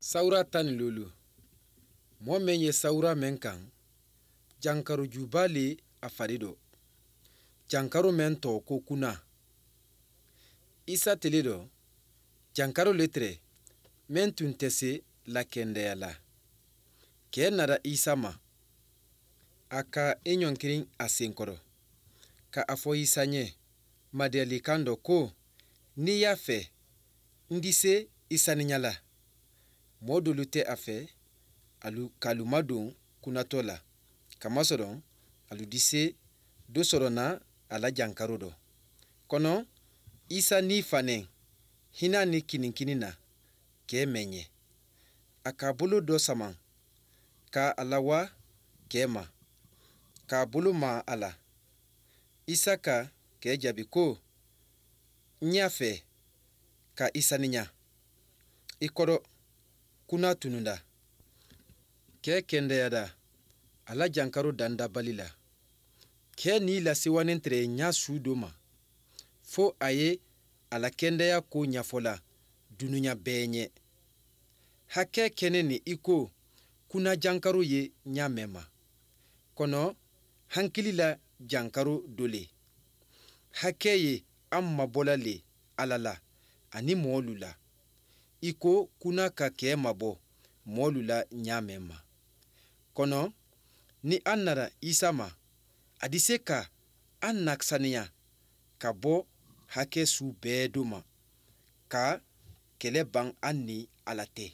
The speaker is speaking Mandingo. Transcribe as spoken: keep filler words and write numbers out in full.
Sawura taŋ ni luulu. Moo meŋ ye sawura meŋ kaŋ, jankaroo juubaa le a fadi do. Jankaroo meŋ too ko kuna. Isa tele do, jankaroo le tere meŋ tuŋ tese la kendeya la. Kee nada isa ma, a ka i ñoŋ kiriŋ a seŋ kodo, ka a fo isa ñe, madiyalikaŋ do ko, niŋ i ye a fee, n dise i saniña la. Moo doolu te a fee, alu ka alu maduŋ kunatoo la, kamasoloŋ alu dise do soroŋ na a la jankaroo do. Kono isa niŋ i faneŋ hinaa niŋ kiniŋ kiniŋ na, kee meŋ ñe, a ka a buloo do samaŋ, ka a la waa kee ma, ka a buloo maa a la. Isa ka kee jaabi ko, n ye a fee, ka i saniña. I kodo kuna tununda. Kee kendeyaata a la jankaroo dandabali la. Kee niŋ i la siwanintere ye ñaa suu do ma, fo a ye a la kendeyaa koo ñafo la dunuña bee ñe. Hakkee kene niŋ i ko, kuna jankaroo ye ñaa meŋ ma. Kono hankili la jankaroo do le. Hakkee ye a mabo la le alla la aniŋ moolu la. I ko kuna ka kee mabo moolu la ñaa meŋ ma. Kono niŋ a nara isa ma, a dise ka a na saniya ka bo hakkee suu bee do ma, ka kele baŋ a niŋ alla te.